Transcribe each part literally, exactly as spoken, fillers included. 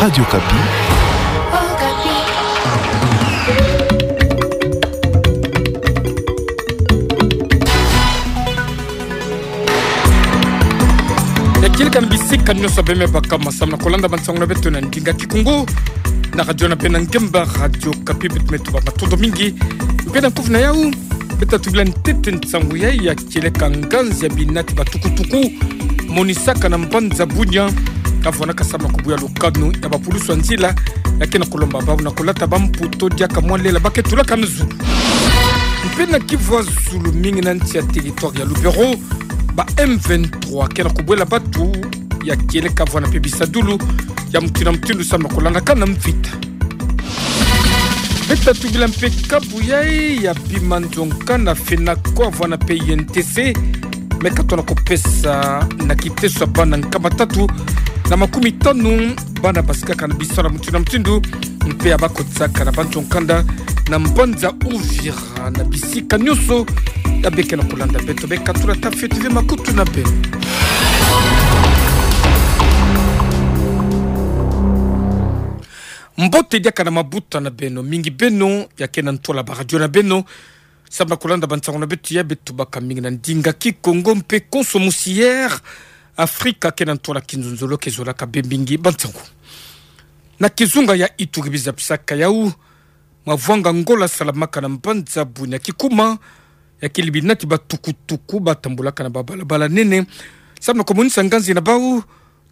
Radio Okapi. Ya kieleka na bisika nyonso beme baka masamu na kolanda bansangu na beto na ndinga Kikongo na radio na beno ya ngemba, Radio Okapi. Beto me tuba matondo mingi. Mpe na nkufi na yau, beta tubila ntete nsangu ya, ya kieleka nganzi ya binati ba tukutuku monisaka na mbanza Bunia, kavwanaka samu na kubuya lukanu ya bapulusu ya nzila, ya ke na kulomba bau na kulata bamputa diaka mwa lela ba ke tulaka na zulu. Mpe na kivwa zulu mingi na nsi ya territoire ya Lubero, ba M vingt-trois ke na kubwela batu ya kieleka vwana mpe bisadulu ya mutindu na mutindu samu na kulandakana mvita. Beta tubila mpe kabu ya, ya bima nzo nkanda FENACO vwana mpe I N T C, me katona kupesa na kiteso ya bana nkama tatu na makumi tanu bana basikaka na bisalu ya mutindu na mutindu, mpe ya bakotisaka na banzo nkanda na mbanza Uvira na bisika nyonso ya beke na kulanda beto. Beka tula tafioti ve makutu na beno. Mbote diaka na mabuta na beno, mingi beno ya ke na ntwala baradio na beno samu na kulanda bansangu na beto ya beto baka mingi na ndinga Kikongo mpe konso musi Air Afrika ke na ntwala kinzonzolo ke zolaka bembe mingi bansangu. Na kizunga ya Ituri biza bisaka yau, mavwanga ngola salamaka na mbanza Bunia kikuma, ya kele binati ba tukutuku ba tambulaka na babalabala nene samu na kumonisa nganzi na bau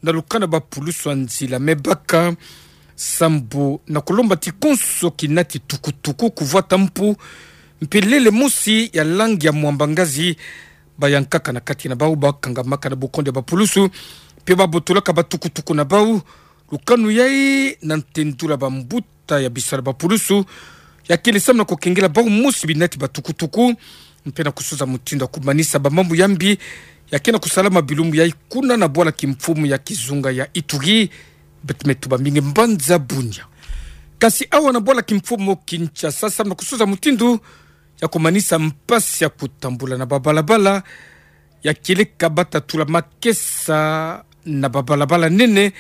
na lukanu ya bapulusu ya nzila. Me baka sambu na kulomba ti konso kinati tukutuku kuvwata mpu mpe lele mosi ya langi ya mwamba ngazi, bayankaka na kati na bau, bakangamaka na bukondo ya bapulusu mpe babotolaka batukutuku na bau. Lukanu yai na ntendula bambuta ya bisalu ya bapulusu ya kele samu na kukengela bau mosi binati ba tukutuku mpe na kusosa mutindu ya kumanisa bamambu ya mbi ya ke na kusalama bilumbu yai kuna na bwala kimfumu ya kizunga ya Ituri, beto me tuba mingi mbanza Bunia. Kasi awa na bwala kimfumu Kinshasa, samu na kusosa mutindu ya kumanisa mpasi ya kutambula na babalabala, ya kieleka bata tula makesa na babalabala nene,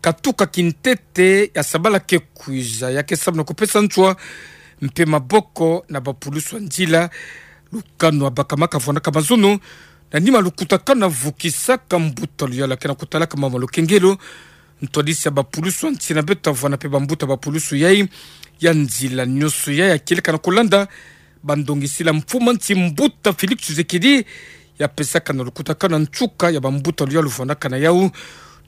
katuka kintete ya sabala ke kwiza, ya ke samu na kupesa nswa mpe maboko na bapulusu ya nzila. Lukanu ya baka maka vwanaka mazono na nima lukutakanu ya vukisaka mbuta luyalu ya ke na kutalaka mama lukengelo. Ntwadisi ya bapulusu ya nsi na beto vwana mpe bambuta bapulusu yai ya nzila nyonso yai ya kieleka na kulanda bandongisila mfumu ya nsi mbuta Félix Tshisekedi ya pesaka na lukutakanu ya nsuka ya bambuta luyalu vwanaka na yau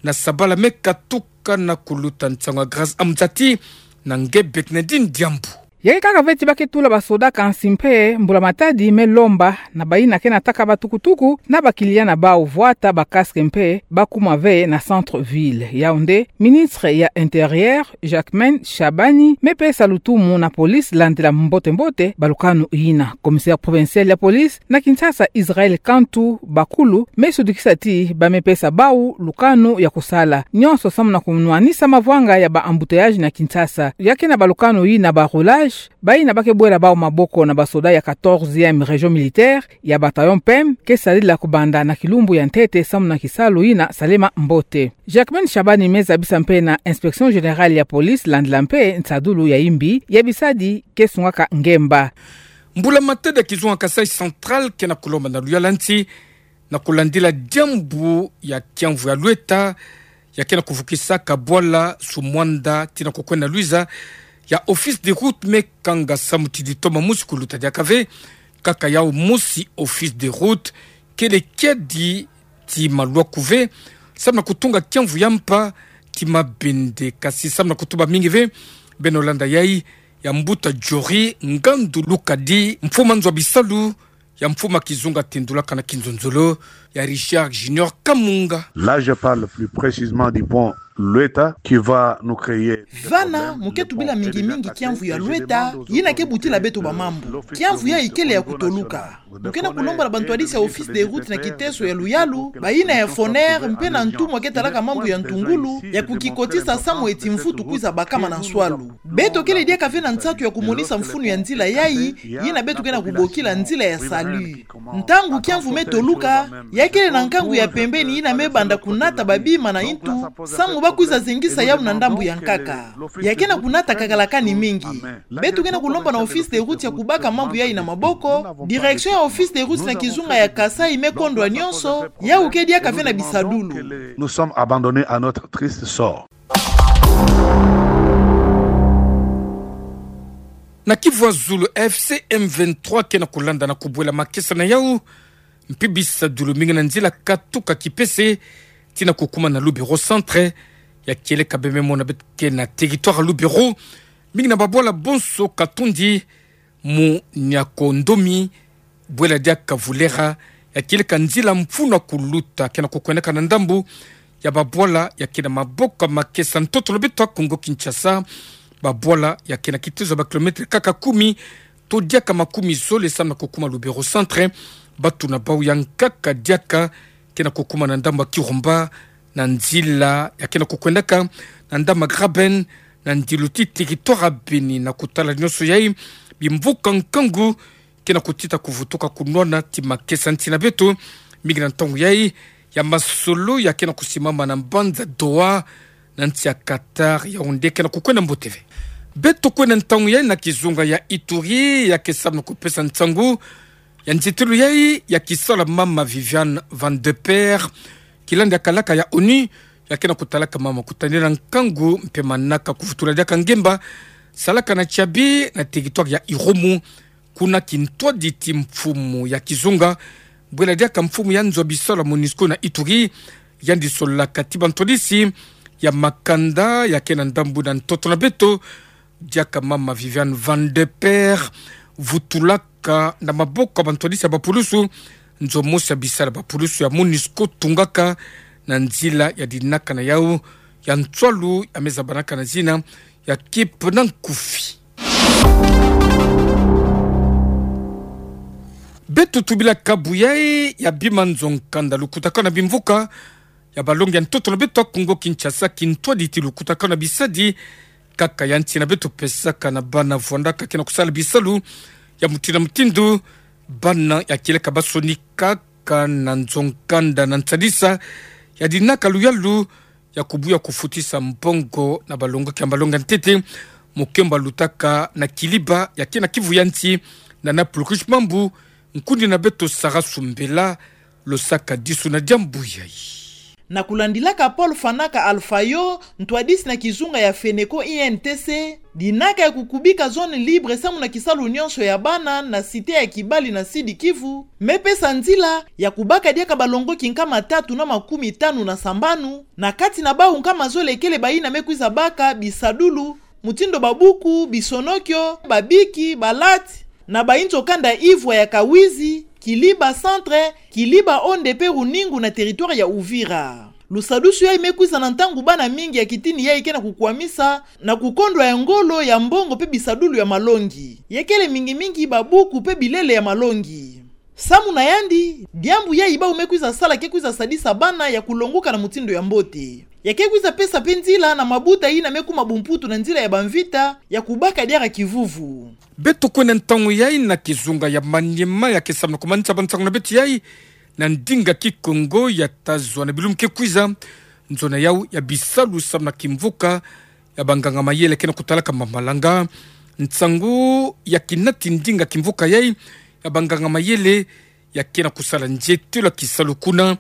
na sabala me katuka na kuluta. Nsangu ya Grace Amzati na nge Bernardine Diambu. Ya ke kaka ve ti ba ke tula basoda, kansi mpe mbula-matadi me lomba na bayina ke nataka batukutuku na bakiliya na bau vwata ba casque mpe bakuma ve na centre-ville. Yau nde ministre ya Intérieur, Jacquemain Shabani, me pesa lutumu na police landila mbote-mbote balukanu yina. Commissaire provincial ya police na Kinshasa, Israël Kantu Bakulu, me sudikisa ti ba me pesa bau lukanu ya kusala nyonso samu na kunwanisa mavwanga ya ba embouteillage na Kinshasa. Ya ke na balukanu yina ba rouage, bayina ba ke bwela bau maboko na basoda ya quatorzième région militaire ya bataillon P M ke sadila kubanda na kilumbu ya ntete samu na kisalu yina salema mbote. Jacquemain Shabani me zabisa mpe na Inspection Générale ya Police landila mpe nsadulu ya imbi ya bisadi ke sungaka ngemba. Mbula-matadi ya kizunga Kasaï Central ke na kulomba na luyalu ya nsi na kulandila diambu ya kiamvu ya lweta ya ke na kuvukisaka bwala su mwanda ti na kukwenda lwiza ya Office des Routes me kanga samu ti ditoma mosi kuluta diaka ve. Kaka yau mosi Office des Routes kele kiadi ti malwaku ve samu na kutunga kiamvu ya mpa ti mabende. Kasi samu na kutuba mingi ve, beno landa yai ya mbuta Jory Ngandu Lukadi, mfumu ya nzo ya bisalu ya mfumu ya kizunga tendulaka na kinzonzolo ya Richard Junior Kamunga. Là, je parle plus précisément du pont Lweta qui va nous créer des problèmes. Vana, mu ke tubila mingi-mingi kiamvu ya Lweta, yina ke butila beto bamambu. Kiamvu yai kele ya kutoluka. Mu ke na kulomba na bantwadisi ya Office des Routes na kiteso ya luyalu, bayina ya Foner, mpe na ntumwa ke talaka mambu ya ntungulu, ya kukikotisa samu eti mvutu kwiza bakama na nswalu. Beto kele diaka ve na nsatu ya kumonisa mfunu ya nzila yai, yina beto ke na kubokila nzila ya salu. Ntangu kiamvu me toluka, ya kele na nkangu ya pembeni yina me banda kunata babima na intu, samu kwiza zengisa yau na ndambu ya nkaka. Ya ke na kunata kakalakani mingi. Beto ke na kulomba na Office des Routes ya kubaka mambu yayi na maboko, direction ya Office des Routes na kizunga ya Kasaï me kondwa nyonso, yau ke diaka ve na bisadulu. Nous sommes abandonnés à notre triste sort. Na Kivu ya Zulu, AFC M vingt-trois ke na kulanda na kubwela makesa na yau, mpe bisadulu mingi na nzila katuka Kipese, tii na kukuma na Lubero Centre, ya kieleka bembe mo na beto ke na territoire Lubero, mingi na babwala bonso Katondi, Muniakondomi, bwela diaka Vulera, ya kieleka nzila mfunu ya kuluta, ke na kukwendaka na ndambu ya babwala ya ke na maboko ya makesa ntoto na beto ya Kongo Kinshasa, babwala ya ke na kitezo ya ba kilomètre kaka kumi, to diaka makumi zole samu na kukuma Lubero Centre, bato na bau ya nkaka diaka ke na kukuma na ndambu ya Kirumba, na nzila ya ke na kukwendaka na ndambu ya Graben, na ndilu tii territoire ya Beni. Na kutala nyonso yayi, bimvuka nkangu ke na kutita kuvutuka kunwana tii makesa nti na beto, mingi na ntangu yayi ya masolo ya ke na kusimama na mbanza Doha, na nsi ya Qatar, Yaoundé, ke na kukwenda mbote ve. Beto kwenda ntangu yayi na kizunga ya Ituri, ya ke samu na kupesa nsangu ya nzietelo yayi ya kisalu ya mama Viviane Van de Perre, kilandi ya kalaka ya ONU, ya ke na kutalaka mama kutanila nkangu mpe manaka kuvutula diaka ngemba salaka na tiabi na territoire ya Irumu, kuna kintwadi ti mfumu ya kizunga, bwela diaka mfumu ya nzo ya bisalu ya MONUSCO na Ituri, yandi solaka tii bantwadisi ya makanda ya ke na ndambu na ntoto na beto, diaka mama Viviane Van de Perre vutulaka na maboko ya bantwadisi ya bapulusu nzo mosi ya bisalu ya bapulusu ya MONUSCO tungaka na nzila ya dinaka na yau ya nswalu ya me zabanaka na zina ya Cape na nkufi. Beto tubila kabu yayi ya bima nzo nkanda lukutakanu na bimvuka ya balongi ya ntoto na beto ya Kongo Kinshasa, kintwadi ti lukutakanu na bisadi kaka ya nsi na beto pesaka na bana vwandaka ke na kusala bisalu ya mutindu na mutindu, bana ya kieleka basonikaka na nzo nkanda na nsadisa ya dinaka luyalu ya kubuya kufutisa mbongo na balongoki ya mbalongo ya ntete. Mukembo lutaka na Kiliba ya ke na Kivu ya nsi, na na pulukushi mambu, nkundi na beto Sarah Sumbela, losaka disu na diambu yayi. Na kulandilaka Paul Fanaka Alfayo, ntwadisi na kizunga ya Feneco I N T C, dinaka ya kukubika zone libre samu na kisalu nyonso ya bana na cité ya Kibali na Sud-Kivu, me pesa nzila ya kubaka diaka balongoki nkama tatu na makumi tanu na sambanu, na kati na bau nkama zole kele bayina me kwiza baka bisadulu, mutindu babuku, bisonokio, babiki, balati, na bayinzo kanda ivwa ya Kawizi, Kiliba Centre, Kiliba Onde mpe Runingu na territoire ya Uvira. Lusadusu yayi me kwiza na ntangu bana mingi ya kitini yayi ke na kukwamisa na kukondwa ya ngolo ya mbongo mpe bisadulu ya malongi, ya kele mingi mingi babuku mpe bilele ya malongi. Samu na yandi, diambu yayi bau me kwiza sala ke kwiza sadisa bana ya kulonguka na mutindu ya mbote. Ya ke kwiza pesa mpe nzila na mabuta yina me kuma bumputu na nzila ya bamvita ya kubaka diaka kivuvu. Beto kwenda ntangu yayi na kizunga ya Maniema ya ke samu na kumanisa bansangu na beto yayi na ndinga Kikongo ya tazwa na bilumbu ke kwiza. Nzo na yau ya bisalu samu na kimvuka ya banganga mayele ke na kutalaka mamalanga. Nsangu ya kinati ndinga kimvuka yayi ya banganga mayele ya ke na kusala nzietelo ya kisalu kuna,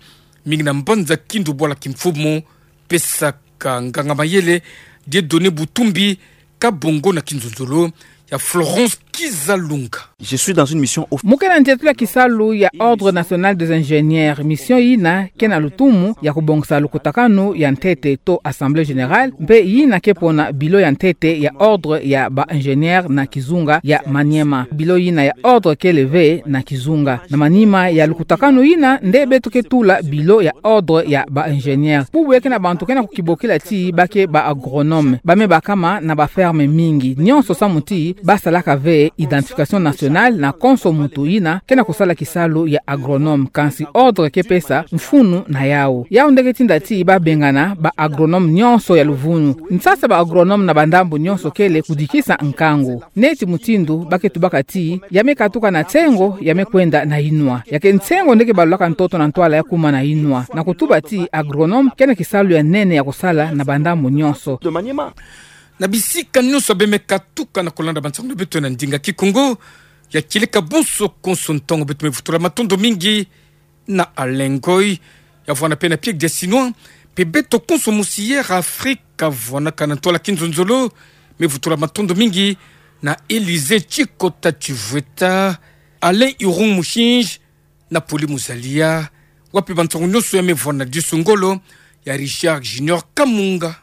mingi na mbanza Kindu bwala kimfumu, pesaka nganga mayele Dieudonné Butumbi, kabongo na kinzonzolo ya Florence Kizalunga. Je suis dans une mission au... Mu ke na nzietelo ya kisalu ya Ordre National des Ingénieurs. Mission yina ke na lutumu ya kubongisa lukutakanu ya ntete to Assemblée Générale, mpe yina ke pona bilo ya ntete ya Ordre ya ba Ingénieurs na kizunga ya Maniema. Bilo yina ya Ordre kele ve na kizunga. Na manima ya lukutakanu yina nde beto ke tula bilo ya Ordre ya ba Ingénieurs. Bubu ya ke na bantu ke na kukibokila ti ba ke ba agronomes. Ba me bakama na ba fermes mingi. Nyonso samu ti ba salaka ve Identification nationale na konso muntu yina ke na kusala kisalu ya agronome, kansi ordre ke pesa mfunu na yau. Yau nde ke tinda ti ba bengana ba agronome nyonso ya luvunu. Nsasa ba agronome na ba ndambu nyonso kele kudikisa nkangu. Neti mutindu ba ke tubaka ti ya me katuka na nsengo ya me kwenda na inwa. Ya ke nsengo nde ke balulaka ntoto na ntwala ya kuma na inwa. Na kutuba ti agronome ke na kisalu ya nene ya kusala na ba ndambu nyonso. Na bisika nyonso bê me katuka na kulanda bansangu na beto na ndinga Kikongo, ya kieleka bonso konso ntangu. Beto me vutula matondo mingi na Alain Ngoy, ya vwanda mpe na Pierre Diasinois, mpe beto konso mosi ya Afrika vwanakana ntwala kinzonzolo. Me vutula matondo mingi na Elysée Tshikota Tshivweta, Alain Irung Mushinji, na Poli Muzalia, wapi bansangu nyonso ya me vwanda disu ngolo, ya Richard Junior Kamunga.